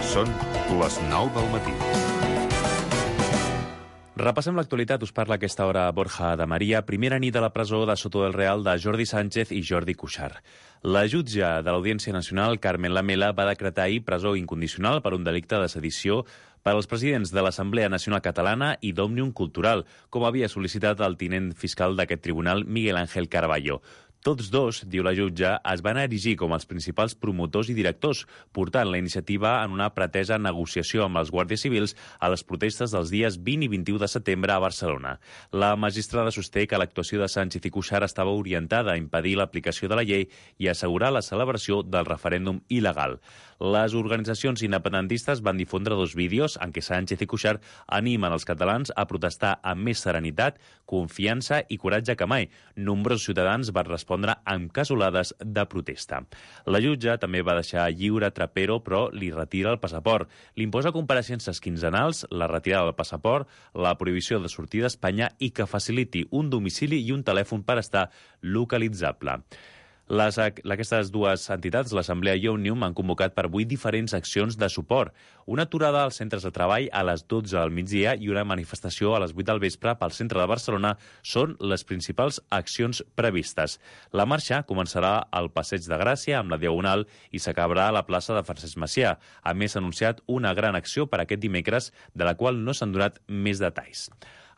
Són les 9 del matí. Repassem l'actualitat. Us parla a aquesta hora Borja de Maria. Primera nit a la presó de Soto del Real de Jordi Sánchez i Jordi Cuixart. La jutge de l'Audiència Nacional, Carmen Lamela, va decretar ahir presó incondicional per un delicte de sedició per als presidents de l'Assemblea Nacional Catalana i d'Òmnium Cultural, com havia sol·licitat el tinent fiscal d'aquest tribunal, Miguel Ángel Carballo. Tots dos, diu la jutge, es van erigir com els principals promotors i directors, portant la iniciativa en una pretesa negociació amb els guàrdies civils a les protestes dels dies 20 i 21 de setembre a Barcelona. La magistrada sosté que l'actuació de Sánchez i Cuixart estava orientada a impedir l'aplicació de la llei i assegurar la celebració del referèndum il·legal. Les organitzacions independentistes van difondre dos vídeos en què Sánchez i Cuixart animen els catalans a protestar amb més serenitat, confiança i coratge que mai. Nombrosos ciutadans van respondre amb casolades de protesta. La jutge també va deixar lliure Trapero, però li retira el passaport. Li imposa compareixences quinzenals, la retirada del passaport, la prohibició de sortir d'Espanya i que faciliti un domicili i un telèfon per estar localitzable. Aquestes dues entitats, l'Assemblea i Òmnium, han convocat per 8 diferents accions de suport. Una aturada als centres de treball a les 12 del migdia i una manifestació a les 8 del vespre pel centre de Barcelona són les principals accions previstes. La marxa començarà al Passeig de Gràcia, amb la Diagonal, i s'acabarà a la plaça de Francesc Macià. A més, s'ha anunciat una gran acció per aquest dimecres, de la qual no s'han donat més detalls.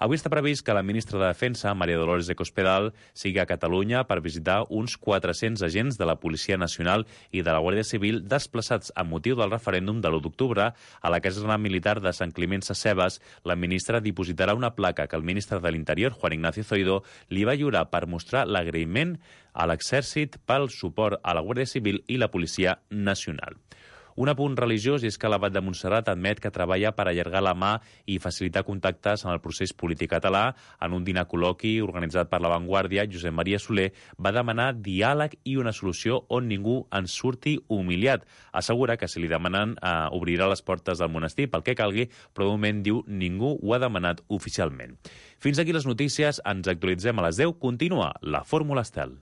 Avui està previst que la ministra de Defensa, María Dolores de Cospedal, sigui a Catalunya per visitar uns 400 agents de la Policia Nacional i de la Guàrdia Civil desplaçats amb motiu del referèndum de l'1 d'octubre. A la caserna militar de Sant Climent Sescebes, la ministra dipositarà una placa que el ministre de l'Interior, Juan Ignacio Zoido, li va lliurar per mostrar l'agraïment a l'exèrcit pel suport a la Guàrdia Civil i la Policia Nacional. Un apunt religiós és que l'Abat de Montserrat admet que treballa per allargar la mà i facilitar contactes en el procés polític català. En un dinar col·loqui organitzat per La Vanguardia, Josep Maria Soler va demanar diàleg i una solució on ningú en surti humiliat. Assegura que si li demanen obrirà les portes del monestir pel que calgui, però de moment diu ningú ho ha demanat oficialment. Fins aquí les notícies, ens actualitzem a les 10. Continua la Fórmula Estel.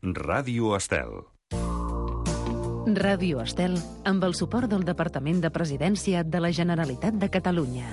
Ràdio Estel. Ràdio Estel, amb el suport del Departament de Presidència de la Generalitat de Catalunya.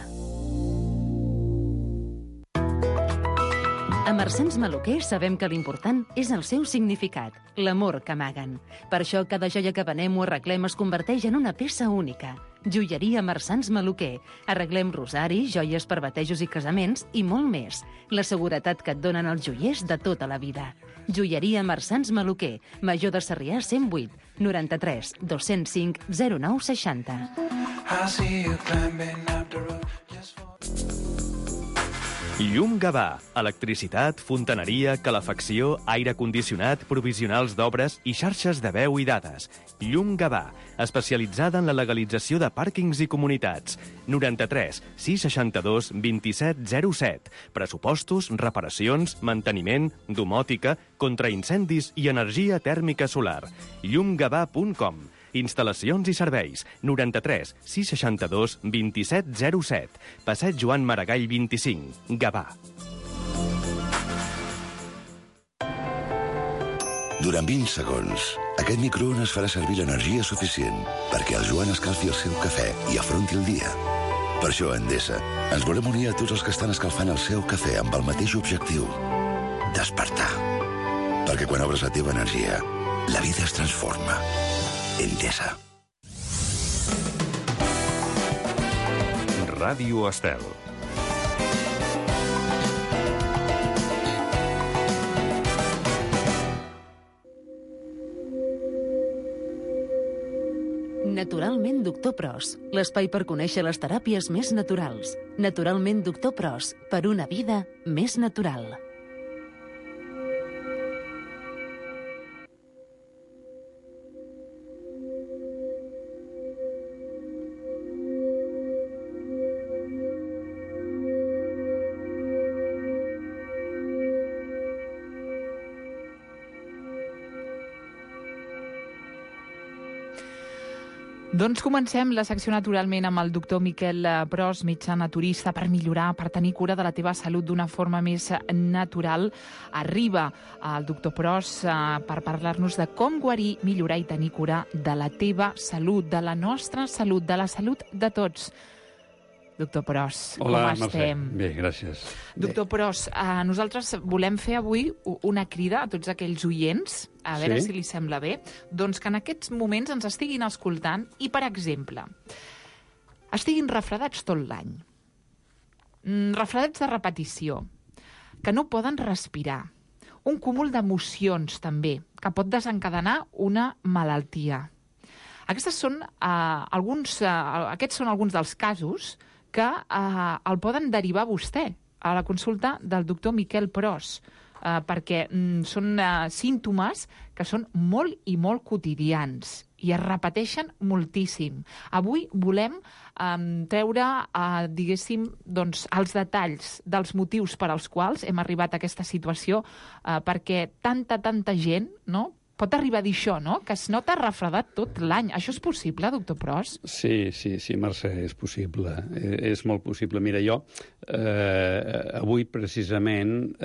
A Marsans Maluquer sabem que l'important és el seu significat, l'amor que amaguen. Per això cada joia que venem o arreglem es converteix en una peça única. Joieria Marsans Maluquer. Arreglem rosaris, joies per batejos i casaments i molt més. La seguretat que et donen els joiers de tota la vida. Joieria Marsans Maluquer, Major de Sarrià 108, 93 205 09 60. Llum Gavà. Electricitat, fontaneria, calefacció, aire condicionat, provisionals d'obres i xarxes de veu i dades. Llum Gavà, especialitzada en la legalització de pàrquings i comunitats. 93 662 27 07. Pressupostos, reparacions, manteniment, domòtica, contraincendis i energia tèrmica solar. llumgavà.com. Instal·lacions i serveis. 93 662 27 07. Passeig Joan Maragall 25. Gavà. Durant 20 segons, aquest microones farà servir l'energia suficient perquè el Joan escalfi el seu cafè i afronti el dia. Per això, a Endesa, ens volem unir a tots els que estan escalfant el seu cafè amb el mateix objectiu: despertar. Perquè quan obres la teva energia, la vida es transforma. Endesa. Ràdio Estel. Naturalment Doctor Pros, l'espai per conèixer les teràpies més naturals. Naturalment Doctor Pros, per una vida més natural. Doncs comencem la secció naturalment amb el doctor Miquel Pros, metge naturista, per millorar, per tenir cura de la teva salut d'una forma més natural. Arriba el doctor Pros per parlar-nos de com guarir, millorar i tenir cura de la teva salut, de la nostra salut, de la salut de tots. Doctor Pros, hola, com estem? Mercè. Bé, gràcies. Doctor Pros, nosaltres volem fer avui una crida a tots aquells oients, a veure si li sembla bé, doncs que en aquests moments ens estiguin escoltant i, per exemple, estiguin refredats tot l'any. Refredats de repetició, que no poden respirar, un cúmul d'emocions també, que pot desencadenar una malaltia. Aquests són alguns dels casos que el poden derivar vostè a la consulta del doctor Miquel Pros, perquè són símptomes que són molt i molt quotidians i es repeteixen moltíssim. Avui volem treure, diguéssim, doncs, els detalls dels motius per als quals hem arribat a aquesta situació, perquè tanta gent, no?, pot arribar a dir això, no?, que es nota refredat tot l'any. Això és possible, doctor Pros? Sí, Mercè, és possible. És molt possible. Mira, jo avui precisament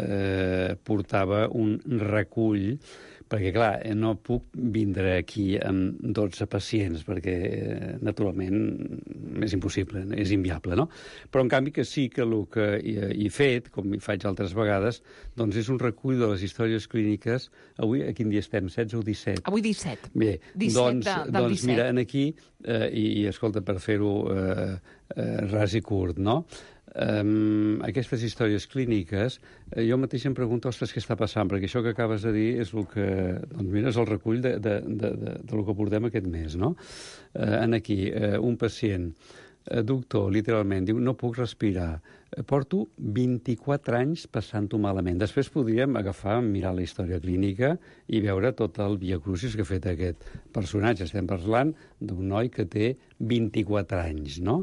portava un recull, perquè, clar, no puc vindre aquí amb 12 pacients, perquè, naturalment, és impossible, és inviable, no? Però, en canvi, que sí que el que he fet, com hi faig altres vegades, doncs és un recull de les històries clíniques. Avui, a quin dia estem? 16 o 17? Avui 17. Bé, 17 del 17. Mira, aquí, i escolta, per fer-ho ras i curt, no?, aquestes històries clíniques, jo mateix em pregunto, ostres, què està passant? Perquè això que acabes de dir és el que, doncs mira, és el recull de lo que portem aquest mes, no? Aquí, un pacient, doctor, literalment, diu, no puc respirar, porto 24 anys passant-ho malament. Després podríem agafar, mirar la història clínica i veure tot el viacrucis que ha fet aquest personatge. Estem parlant d'un noi que té 24 anys, no?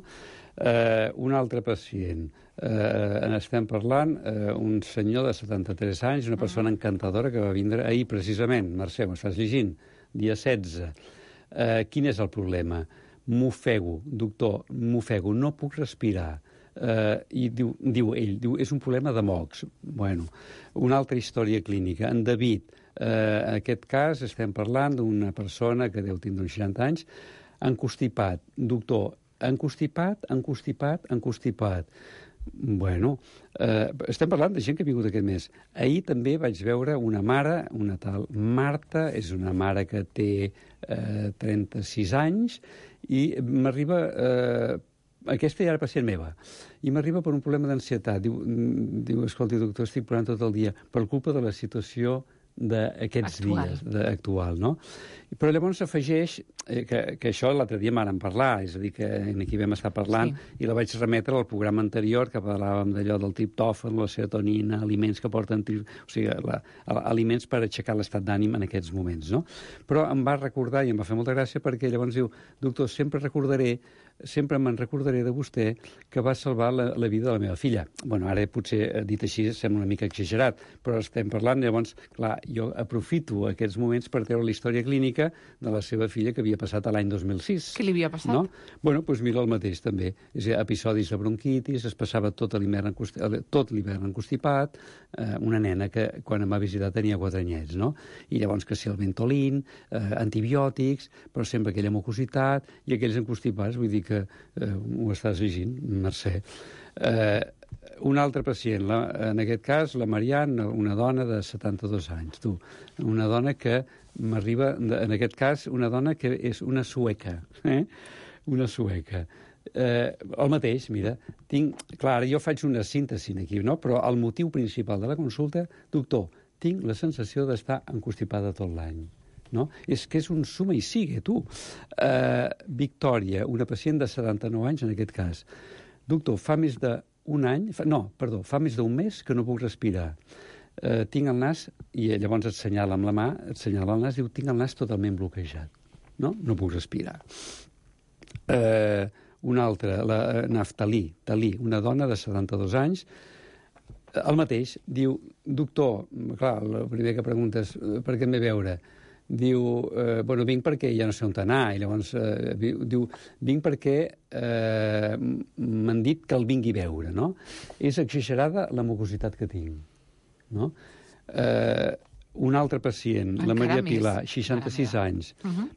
Un altre pacient, estem parlant un senyor de 73 anys, una persona encantadora que va vindre ahir precisament. Mercè, m'ho estàs llegint? Dia 16. Quin és el problema? M'ofego, doctor, m'ofego, no puc respirar. I diu ell, és un problema de mocs. Bueno, una altra història clínica. En David, en aquest cas estem parlant d'una persona que deu tindre uns 60 anys, encostipat. Doctor, encostipat. Bueno, estem parlant de gent que ha vingut aquest mes. Ahir també vaig veure una mare, una tal Marta, és una mare que té 36 anys, i m'arriba... aquesta ja era pacient meva, i m'arriba per un problema d'ansietat. Diu, escolti, doctor, estic plorant tot el dia per culpa de la situació d'aquests dies actual, no? Però llavors s'afegeix que això l'altre dia m'han parlar, és a dir, que aquí vam estar parlant, i la vaig remetre al programa anterior, que parlàvem d'allò del triptòfan, la serotonina, aliments que porten... O sigui, aliments per aixecar l'estat d'ànim en aquests moments, no? Però em va recordar, i em va fer molta gràcia, perquè llavors diu, doctor, sempre me'n recordaré de vostè que va salvar la vida de la meva filla. Bueno, ara potser dit així sembla una mica exagerat, però estem parlant, llavors, clar, jo aprofito aquests moments per treure la història clínica de la seva filla que havia passat l'any 2006. Què li havia passat? No? Bueno, doncs mira el mateix també. És a dir, episodis de bronquitis, es passava tot l'hivern encostipat, una nena que quan em va visitar tenia 4 anyets, no? I llavors que si el Ventolin, antibiòtics, però sempre aquella mucositat i aquells encostipats, vull dir que ho estàs llegint, Mercè. Un altre pacient, en aquest cas, la Marianne, una dona de 72 anys, una dona que m'arriba, en aquest cas, una dona que és una sueca, una sueca. El mateix, mira, clar, jo faig una síntesi aquí, no? Però el motiu principal de la consulta, doctor, tinc la sensació d'estar encostipada tot l'any. No? És que és un suma i sigue, tu. Victòria, una pacient de 79 anys, en aquest cas. Doctor, fa més d'un mes que no puc respirar. Tinc el nas, i llavors et senyala amb la mà, et senyala el nas, diu, tinc el nas totalment bloquejat. No puc respirar. Una altra, la Naftalí, una dona de 72 anys, el mateix, diu, doctor, clar, el primer que preguntes, per què em ve veure? diu, bueno, vinc perquè ja no sé on anar, i llavors diu, vinc perquè m'han dit que el vingui a veure, no? És exagerada la mucositat que tinc, no? Un altre pacient, la Maria Pilar, 66 anys.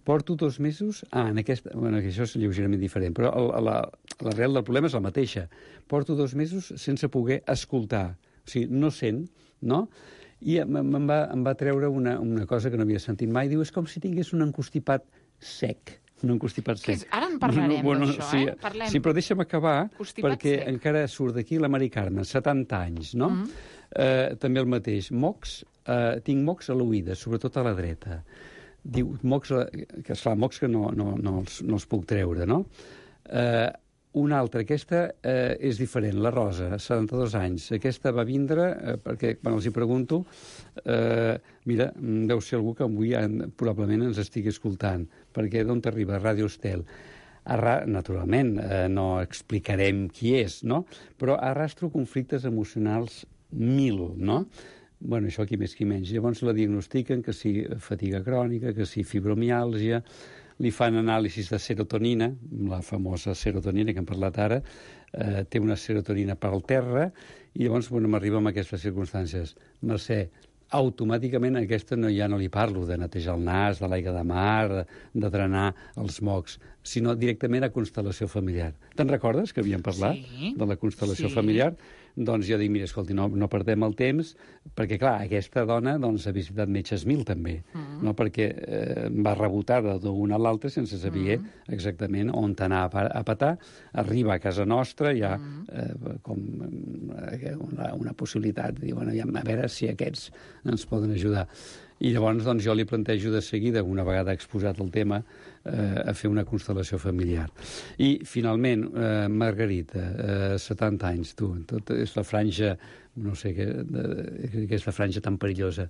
Porto 2 mesos... en aquesta... Bueno, això és lleugerament diferent, però l'arrel del problema és la mateixa. Porto 2 mesos sense poder escoltar. O sigui, no sent, no? I em va treure una cosa que no havia sentit mai. Diu, és com si tingués un encostipat sec. Un encostipat sec. Ara en parlarem d'això, sí, Parlem. Sí, però deixa'm acabar, Constipat perquè sec. encara surt d'aquí la Mari Carme, 70 anys, no? També el mateix. Mocs, tinc mocs a l'oïda, sobretot a la dreta. Diu, mocs que no els puc treure, no? Una altra, aquesta és diferent, la Rosa, 72 anys. Aquesta va vindre, perquè quan els hi pregunto, mira, deu ser algú que avui probablement ens estigui escoltant, perquè d'on t'arriba? Ràdio Estel. Naturalment, no explicarem qui és, no? Però arrastro conflictes emocionals 1000, no? Bueno, això qui més qui menys. Llavors la diagnostiquen que si fatiga crònica, que si fibromiàlgia, li fan anàlisis de serotonina, la famosa serotonina que hem parlat ara, té una serotonina per al terra, i llavors, bueno, m'arriba amb aquestes circumstàncies. Mercè, automàticament aquesta ja no li parlo de netejar el nas, de l'aigua de mar, de drenar els mocs, sinó directament a constel·lació familiar. Te'n recordes que havíem parlat de la constel·lació familiar? Doncs jo dic, mira, escolti, no perdem el temps, perquè, clar, aquesta dona ha visitat metges 1000, també, no? Perquè va rebotada d'una a l'altra sense saber exactament on anar a petar. Arriba a casa nostra, hi ha com una possibilitat de dir, bueno, a veure si aquests ens poden ajudar. I llavors doncs, jo li plantejo de seguida, una vegada exposat el tema, a fer una constel·lació familiar. I, finalment, Margarita, 70 anys, tot és la franja, no sé què és la franja tan perillosa.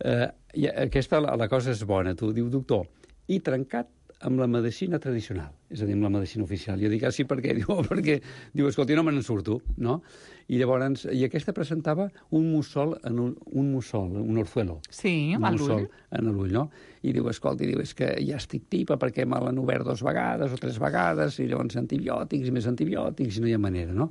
Aquesta, la cosa és bona, tu, diu, doctor, i trencat amb la medicina tradicional, és a dir, amb la medicina oficial. Jo dic, sí, per què? Diu, escolti, no me n'en surto, no? I llavors, aquesta presentava un mussol, un orzuelo. Sí, a l'ull. En l'ull, no? I diu, escolti, és que ja estic tipa perquè me l'han obert 2 vegades o 3 vegades, i llavors antibiòtics i més antibiòtics, i no hi ha manera, no?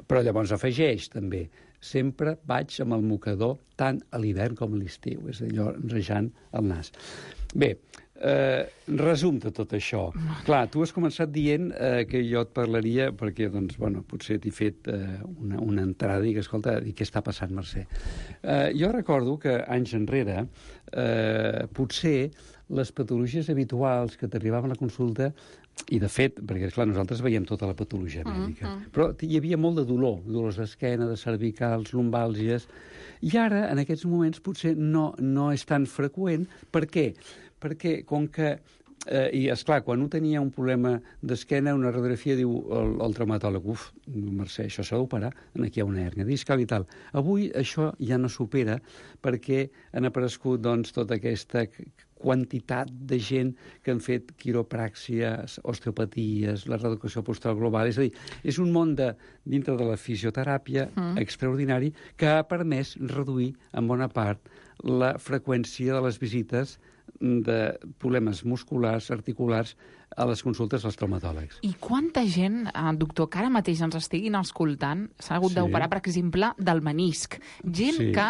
Però llavors afegeix, també, sempre vaig amb el mocador tant a l'hivern com a l'estiu, és a dir, allò enrejant el nas. Bé, resum de tot això. Clar, tu has començat dient que jo et parlaria, perquè, doncs, bueno, potser t'he fet una entrada i que, escolta, què està passant, Mercè? Jo recordo que anys enrere, potser les patologies habituals que t'arribaven a la consulta, i de fet, perquè, clar, nosaltres veiem tota la patologia mèdica, però hi havia molt de dolors d'esquena, de cervicals, lumbàlgies, i ara, en aquests moments, potser no és tan freqüent. Per què? Perquè, com que... I, esclar, quan un tenia un problema d'esquena, una radiografia, diu el traumatòleg, Mercè, això s'ha d'operar, aquí hi ha una hèrnia discal i tal. Avui això ja no s'opera perquè han aparegut, doncs, tota aquesta quantitat de gent que han fet quiropràxies, osteopaties, la reeducació postural global. És a dir, és un món dintre de la fisioteràpia extraordinari que ha permès reduir en bona part la freqüència de les visites de problemes musculars, articulars, a les consultes als traumatòlegs. I quanta gent, doctor, que ara mateix ens estiguin escoltant, s'ha hagut d'operar, per exemple, del menisc. Gent que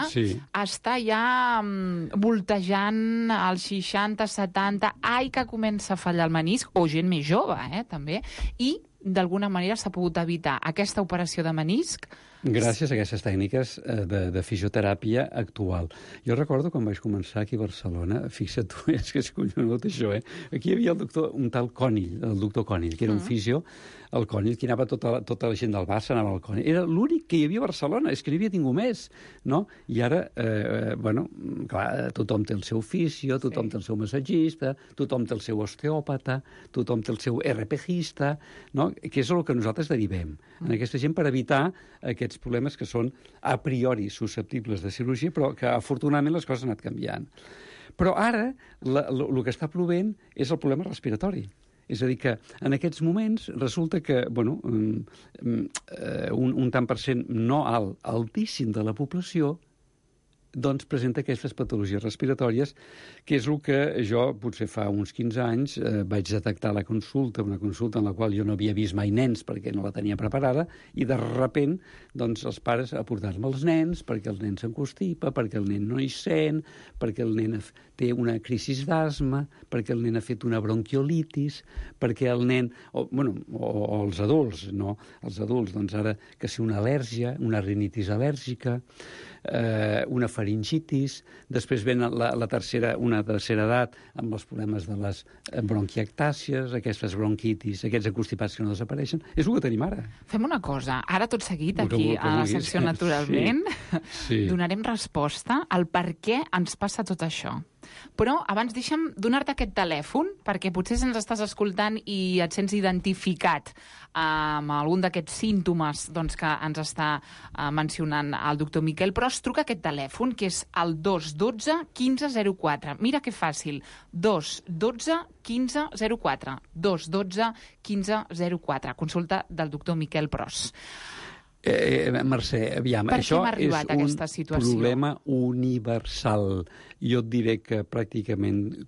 està ja voltejant als 60, 70, que comença a fallar el menisc, o gent més jove, també, i d'alguna manera s'ha pogut evitar aquesta operació de menisc gràcies a aquestes tècniques de fisioteràpia actual. Jo recordo quan vaig començar aquí a Barcelona, fixa't tu, és que és collonut això, aquí hi havia un tal Conill, el doctor Conill, que era un fisio, el Conill, que anava tota la gent del Barça, anava al Conill. Era l'únic que hi havia a Barcelona, és que n'hi havia ningú més, no? I ara, bueno, clar, tothom té el seu fisio, tothom té el seu massatgista, tothom té el seu osteòpata, tothom té el seu RPGista, no? Que és el que nosaltres derivem en aquesta gent per evitar aquests problemes que són a priori susceptibles de cirurgia, però que afortunadament les coses han anat canviant. Però ara el que està plovent és el problema respiratori. És a dir, que en aquests moments resulta que, bueno, un tant per cent no alt, altíssim de la població doncs, presenta aquestes patologies respiratòries, que és el que jo, potser fa uns 15 anys, vaig detectar a la consulta, una consulta en la qual jo no havia vist mai nens perquè no la tenia preparada, i de repent, doncs, els pares a portar-me els nens perquè el nen s'encostipa, perquè el nen no hi sent, perquè el nen té una crisi d'asma, perquè el nen ha fet una bronquiolitis, perquè el nen... o els adults, no? Els adults, doncs ara, que si una al·lèrgia, una rinitis al·lèrgica, una faringitis, després ven una tercera edat amb els problemes de les bronquiectàcies, aquestes bronquitis, aquests acostipats que no desapareixen. És el que tenim ara. Fem una cosa, ara tot seguit, aquí a la secció Naturalment, donarem resposta al per què ens passa tot això. Però abans deixa'm donar-te aquest telèfon, perquè potser ens estàs escoltant i et sents identificat amb algun d'aquests símptomes doncs, que ens està mencionant el doctor Miquel Pros. Truca aquest telèfon, que és el 212 1504. Mira que fàcil, 212 1504. 212 1504. Consulta del doctor Miquel Pros. Mercè, aviam, això és un problema universal. Jo et diré que pràcticament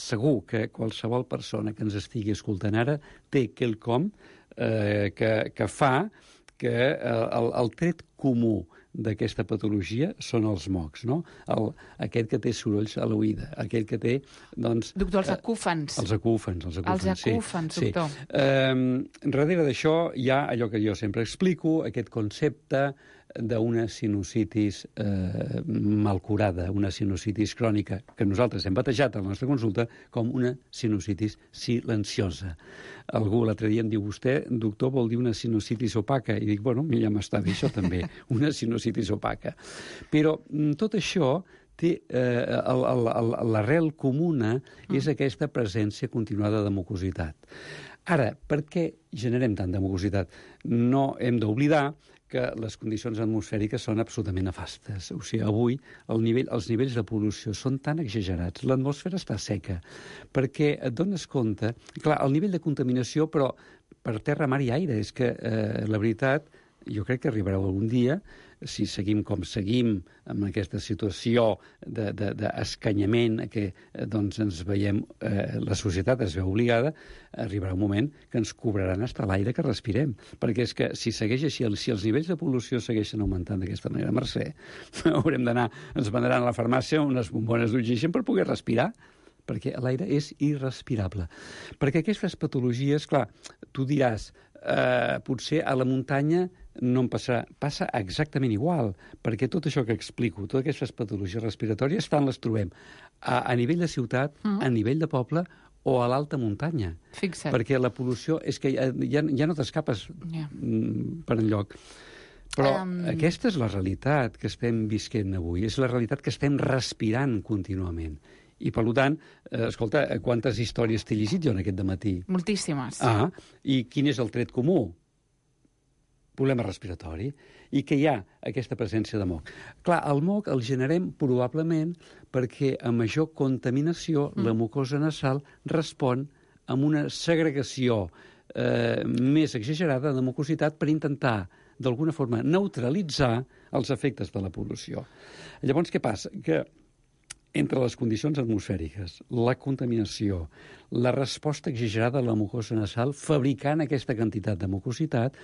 segur que qualsevol persona que ens estigui escoltant ara té quelcom que fa que el tret comú d'aquesta patologia són els mocs, no? Aquest que té sorolls a l'oïda, aquell que té, doncs... Doctor, els acúfens. Els acúfens, doctor. Darrere d'això hi ha allò que jo sempre explico, aquest concepte d'una sinusitis mal curada, una sinusitis crònica, que nosaltres hem batejat a la nostra consulta com una sinusitis silenciosa. Algú l'altre dia em diu, vostè, doctor, vol dir una sinusitis opaca? I dic, bueno, ja m'està bé això també, una sinusitis opaca. Però tot això té l'arrel comuna és aquesta presència continuada de mucositat. Ara, per què generem tant de mucositat? No hem d'oblidar que les condicions atmosfèriques són absolutament nefastes. O sigui, avui els nivells de pol·lució són tan exagerats, l'atmosfera està seca, perquè et dones compte... Clar, el nivell de contaminació, però per terra, mar i aire, és que la veritat, jo crec que arribarà algun dia, si seguim com seguim amb aquesta situació d'escanyament que doncs ens veiem, la societat es veu obligada, arribarà un moment que ens cobraran fins l'aire que respirem, perquè és que si segueix així, si els nivells de pol·lució segueixen augmentant d'aquesta manera, Mercè, haurem d'anar, ens vendran a la farmàcia unes bombones d'oxigen per poder respirar, perquè l'aire és irrespirable. Perquè aquestes patologies, clar, tu diràs, potser a la muntanya no em passarà. Passa exactament igual, perquè tot això que explico, totes aquestes patologies respiratòries, tant les trobem a nivell de ciutat, a nivell de poble o a l'alta muntanya. Fixa't. Perquè la pol·lució és que ja no t'escapes per enlloc. Però aquesta és la realitat que estem visquent avui, és la realitat que estem respirant contínuament. I, per tant, escolta, quantes històries t'he llegit jo en aquest dematí? Moltíssimes. I quin és el tret comú? Problema respiratori. I que hi ha aquesta presència de moc. Clar, el moc el generem probablement perquè a major contaminació la mucosa nasal respon amb una segregació més exagerada de mucositat per intentar, d'alguna forma, neutralitzar els efectes de la pol·lució. Llavors, què passa? Que entre les condicions atmosfèriques, la contaminació, la resposta exagerada a la mucosa nasal, fabricant aquesta quantitat de mucositat,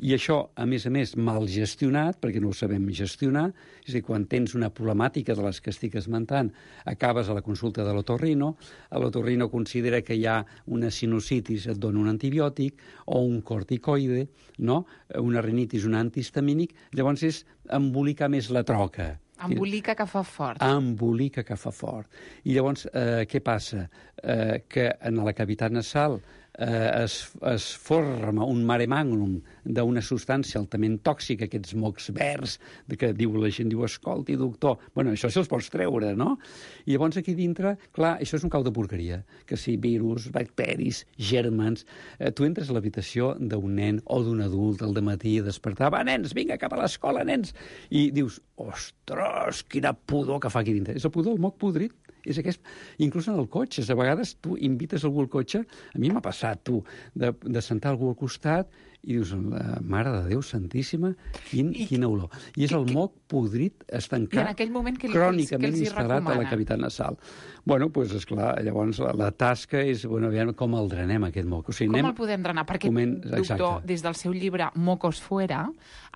i això, a més, mal gestionat, perquè no ho sabem gestionar, és a dir, quan tens una problemàtica de les que estic esmentant, acabes a la consulta de l'otorrino, l'otorrino considera que hi ha una sinusitis, et dona un antibiòtic, o un corticoide, no? Una rinitis, un antihistamínic, llavors és embolicar més la troca. Embolica que fa fort. Embolica que fa fort. I llavors, què passa? Que en la cavitat nasal es forma un mare magnum d'una substància altament tòxica, aquests mocs verds, que la gent diu, escolti, doctor, bueno, això se'ls pots treure, no? I llavors aquí dintre, clar, això és un cau de porqueria, que si virus, bacteris, gèrmens... Tu entres a l'habitació d'un nen o d'un adult al dematí a despertar, va, nens, vinga, cap a l'escola, nens! I dius, ostres, quina pudor que fa aquí dintre. És el pudor, el moc podrit. És aquest. Inclús en el cotxe, a vegades tu invites algú al cotxe, a mi m'ha passat, tu, de sentar algú al costat i dius, la mare de Déu santíssima, quina olor. I és el moc podrit estancat, crònicament instal·lat a la cavitat nasal. Bueno, doncs, esclar, llavors la tasca és, bueno, aviam com el drenem, aquest moc. O sigui, com el podem drenar? Perquè, doctor, des del seu llibre Mocos Fuera,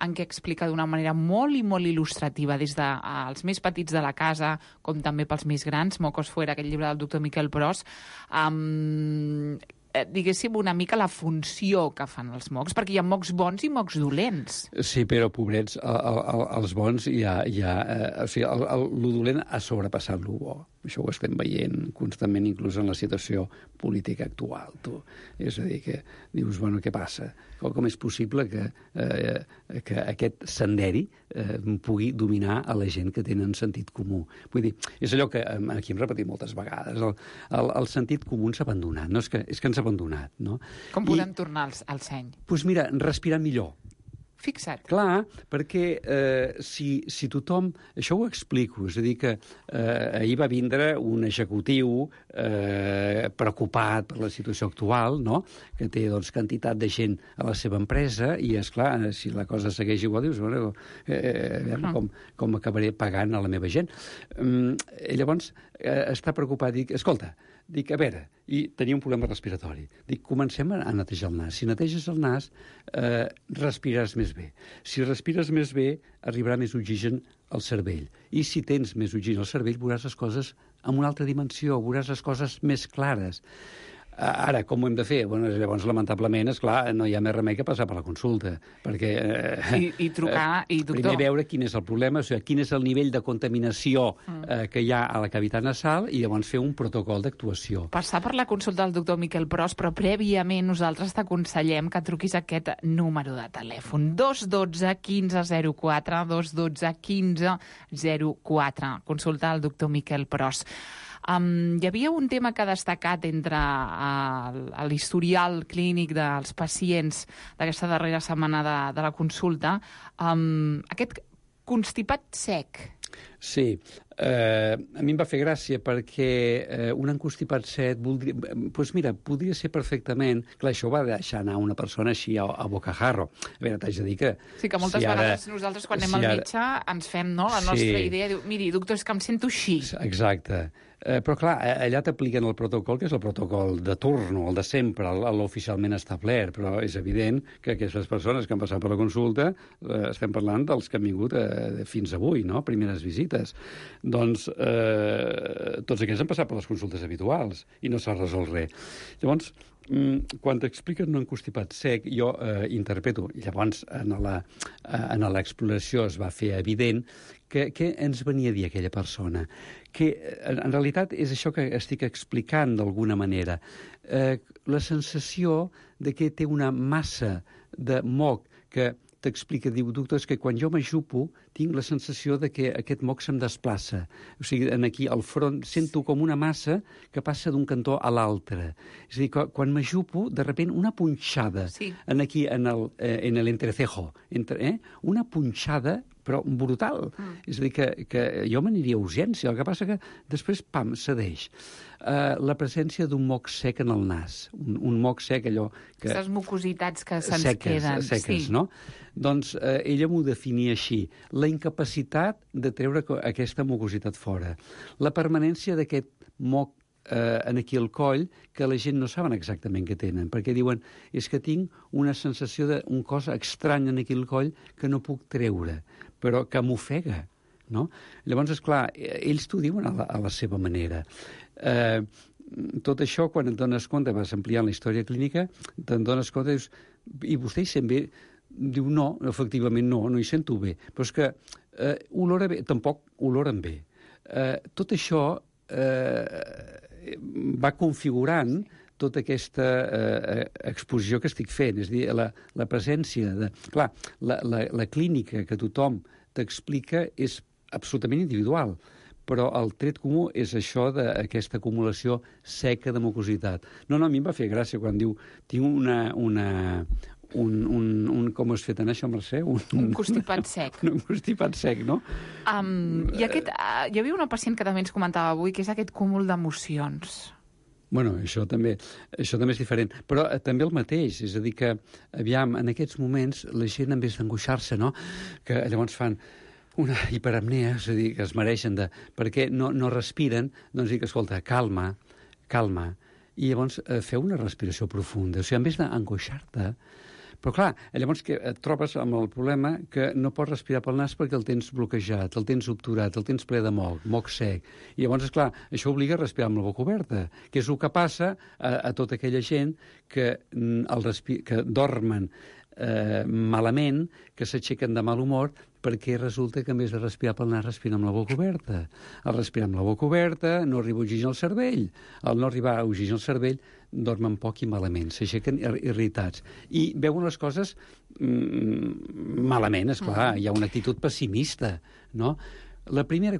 en què explica d'una manera molt i molt il·lustrativa, des dels més petits de la casa, com també pels més grans, Mocos Fuera, aquest llibre del doctor Miquel Pros, diguéssim, una mica la funció que fan els mocs, perquè hi ha mocs bons i mocs dolents. Sí, però, pobrets, els bons o sigui, lo dolent ha sobrepassat lo bo. Això ho estem veient constantment, inclús en la situació política actual. És a dir, que dius, bueno, què passa? Com és possible que aquest senderi pugui dominar a la gent que tenen sentit comú? Vull dir, és allò que aquí hem repetit moltes vegades. El sentit comú s'ha abandonat. No, és que ens ha abandonat, no? Com podem tornar al seny? Doncs mira, respirar millor. Fixa't. Clar, perquè si tothom... Això ho explico, és a dir, que ahir va vindre un executiu preocupat per la situació actual, no?, que té, doncs, quantitat de gent a la seva empresa, i, esclar, si la cosa segueix igual, dius, bueno, com acabaré pagant a la meva gent? Llavors, està preocupat, dic, a veure, i tenia un problema respiratori. Dic, comencem a netejar el nas. Si neteges el nas, respiraràs més bé. Si respires més bé, arribarà més oxigen al cervell. I si tens més oxigen al cervell, veuràs les coses en una altra dimensió, veuràs les coses més clares. Ara, com ho hem de fer? Bueno, llavors, lamentablement, esclar, no hi ha més remei que passar per la consulta, perquè... I trucar, i doctor... Primer veure quin és el problema, o sigui, quin és el nivell de contaminació que hi ha a la cavitat nasal, i llavors fer un protocol d'actuació. Passar per la consulta del doctor Miquel Pros, però prèviament nosaltres t'aconsellem que truquis a aquest número de telèfon, 212 15 04, 212 15 04. Consulta el doctor Miquel Pros. Hi havia un tema que ha destacat entre l'historial clínic dels pacients d'aquesta darrera setmana de la consulta, aquest constipat sec. Sí, a mi em va fer gràcia perquè un encostipat sec doncs mira, podria ser perfectament... Clar, això ho va deixar anar una persona així a bocajarro. A veure, t'haig de dir que... Sí, que moltes vegades nosaltres quan anem al metge ens fem la nostra idea, diu, miri, doctor, és que em sento així. Exacte. Però, clar, allà t'apliquen el protocol, que és el protocol de turno, el de sempre, l'oficialment establert, però és evident que aquestes persones que han passat per la consulta, estem parlant dels que han vingut fins avui, no?, primeres visites. Doncs tots aquests han passat per les consultes habituals i no s'ha resolt res. Llavors, quan t'expliquen un encostipat sec, jo interpreto, i llavors en l'exploració es va fer evident què ens venia a dir aquella persona, que en realitat és això que estic explicant d'alguna manera, la sensació de que té una massa de moc que t'explica, diu, doctor, és que quan jo m'ajupo tinc la sensació de que aquest moc se'm desplaça. O sigui, aquí al front sento com una massa que passa d'un cantó a l'altre. És a dir, quan m'ajupo, de repent, una punxada aquí en l'entrecejo, una punxada però brutal. És a dir, que jo m'aniria a urgència, el que passa que després, pam, cedeix. La presència d'un moc sec en el nas, un moc sec, allò que... Aquestes mucositats que se'ns queden. Seques, no? Doncs ella m'ho definia així, la incapacitat de treure aquesta mucositat fora, la permanència d'aquest moc aquí al coll, que la gent no saben exactament què tenen, perquè diuen, és que tinc una sensació d'un cos estrany aquí al coll que no puc treure, però que m'ofega, no? Llavors, esclar, ells t'ho diuen a la seva manera. Tot això, quan et dones compte, vas ampliant la història clínica, te'n dones compte, dius, i vostè hi sent bé? Diu, no, efectivament no hi sento bé, però és que olora bé, tampoc oloren bé. Tot això va configurant tota aquesta exposició que estic fent, és a dir, la presència de... Clar, la clínica que tothom t'explica és absolutament individual, però el tret comú és això d'aquesta acumulació seca de mucositat. No, a mi em va fer gràcia quan diu, tinc com has fet en això, Mercè? Un constipat sec. Un constipat sec, no? I hi havia una pacient que també ens comentava avui, que és aquest cúmul d'emocions. Bueno, això també és diferent. Però també el mateix, és a dir que, aviam, en aquests moments la gent, en vez d'angoixar-se, no?, que llavors fan una hiperapnea, és a dir, que es mereixen perquè no respiren, doncs dic, escolta, calma, i llavors feu una respiració profunda. O sigui, en vez d'angoixar-te. Però clar, llavors que et trobes amb el problema que no pots respirar pel nas perquè el tens bloquejat, el tens obturat, el tens ple de moc sec. I llavors, esclar, això obliga a respirar amb la boca oberta, que és el que passa a tota aquella gent que dormen malament, que s'aixequen de mal humor, perquè resulta que en vez de respirar pel nas respiren amb la boca oberta. Al respirar amb la boca oberta no arriba oxigen al cervell. Al no arribar oxigen al cervell dormen poc i malament, s'aixequen irritats. I veuen les coses malament, esclar, hi ha una actitud pessimista, no? El primer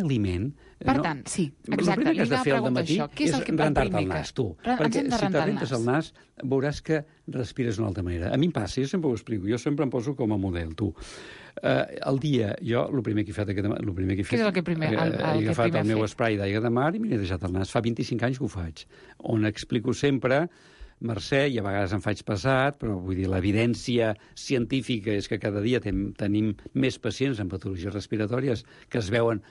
aliment... Per tant, sí, exacte. El primer que has de fer al matí és rentar-te el nas, tu. Perquè si te rentes el nas, veuràs que respires d'una altra manera. A mi em passa, jo sempre ho explico, jo sempre em poso com a model, tu. Al dia, jo, el primer que he fet... Què és el que primer? He agafat el meu spray d'aigua de mar i m'he deixat el nas. Fa 25 anys que ho faig. On explico sempre... Mercè, i a vegades em faig pesat, però vull dir, l'evidència científica és que cada dia tenim més pacients amb patologies respiratòries que es veuen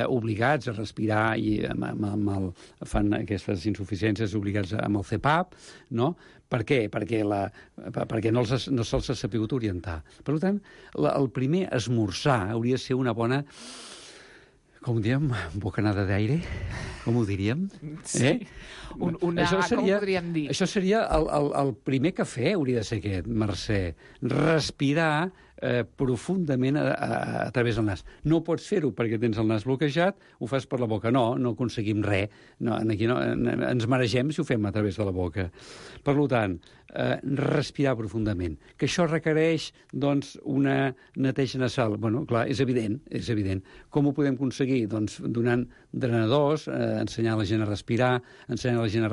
obligats a respirar i fan aquestes insuficiències obligats amb el CPAP, no? Per què? Perquè no se'ls ha sabut orientar. Per tant, el primer esmorzar hauria de ser una bona... Com ho diríem? Bocanada d'aire? Com ho diríem? Sí. Com ho podríem dir? Això seria el primer cafè, hauria de ser aquest, Mercè. Respirar profundament a través del nas. No pots fer-ho perquè tens el nas bloquejat, ho fas per la boca. No aconseguim res. Aquí ens maregem si ho fem a través de la boca. Per tant, respirar profundament. Que això requereix, doncs, una neteja nasal. Bueno, clar, és evident. Com ho podem aconseguir? Doncs donant drenadors, ensenyar la gent a respirar, ensenyar la gent a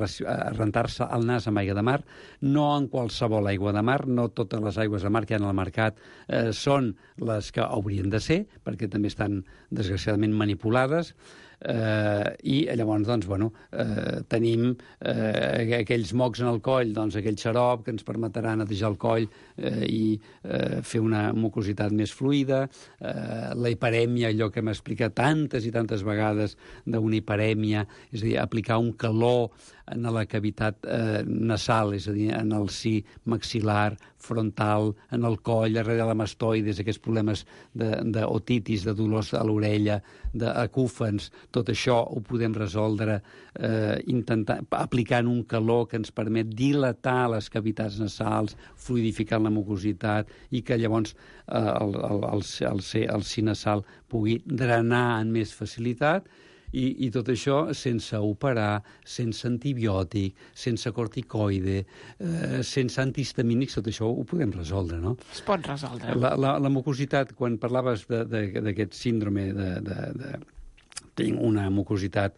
rentar-se el nas amb aigua de mar, no en qualsevol aigua de mar, no totes les aigües de mar que hi ha al mercat són les que haurien de ser, perquè també estan, desgraciadament, manipulades, i llavors, doncs, tenim aquells mocs en el coll, doncs aquell xarop que ens permetrà netejar el coll i fer una mucositat més fluida, la hiperèmia, allò que hem explicat tantes i tantes vegades d'una hiperèmia, és a dir, aplicar un calor en la cavitat nasal, és a dir, en el si maxil·lar, frontal, en el coll, darrere de la mastoides, aquests problemes d'otitis, de dolors a l'orella, d'acúfens, tot això ho podem resoldre aplicant un calor que ens permet dilatar les cavitats nasals, fluidificant la mucositat i que llavors el si nasal pugui drenar amb més facilitat. I tot això sense operar, sense antibiòtic, sense corticoide, sense antihistamínics, tot això ho podem resoldre, no? Es pot resoldre. La mucositat, quan parlaves d'aquest síndrome tinc una mucositat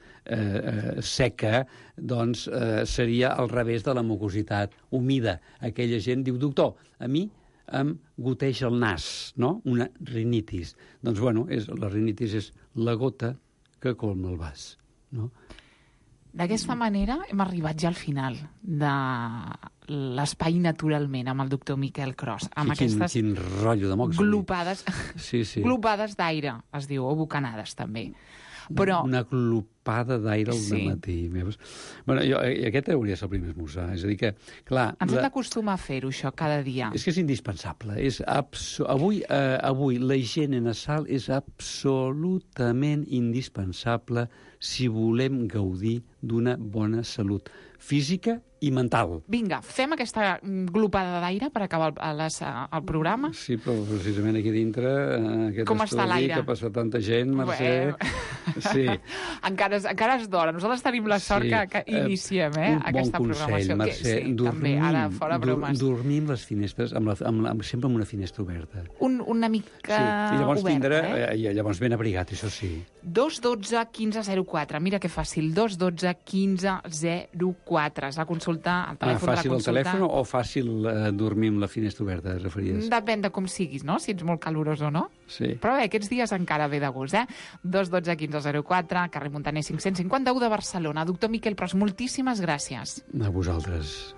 seca, doncs seria al revés de la mucositat humida. Aquella gent diu, doctor, a mi em goteja el nas, no? Una rinitis. Doncs, la rinitis és la gota que colma el vas, no? D'aquesta manera hem arribat ja al final de l'Espai Naturalment amb el doctor Miquel Cros. Amb aquestes quin rotllo de mocs. Glopades, sí. Glopades d'aire, es diu, o bocanades, també. Però... Una glopada d'aire al matí. Aquest hauria de ser el primer esmorzar. És a dir que, clar... Ens hem d'acostumar a fer-ho, això, cada dia. És que és indispensable. Avui la higiene nasal és absolutament indispensable si volem gaudir d'una bona salut física i mental. Vinga, fem aquesta glopada d'aire per acabar el programa? Sí, però precisament aquí dintre, aquest com està l'aire? Que passa tanta gent, Mercè... Sí. Encara és d'hora. Nosaltres tenim la sort que iniciem aquesta programació. Un bon consell, Mercè, també, ara, fora bromes. Dormir amb les finestres, sempre amb una finestra oberta. Una mica oberta, I llavors ben abrigat, això sí. 212 15 04. Mira que fàcil. 212 15 04. És la consulta consulta, el telèfon de la fàcil consulta... el telèfon o fàcil dormir amb la finestra oberta, et referies? Depèn de com siguis, no? Si ets molt calorós o no. Sí. Però bé, aquests dies encara ve de gust, 212 1504, carrer Montaner 551 de Barcelona. Doctor Miquel Pros, moltíssimes gràcies. A vosaltres.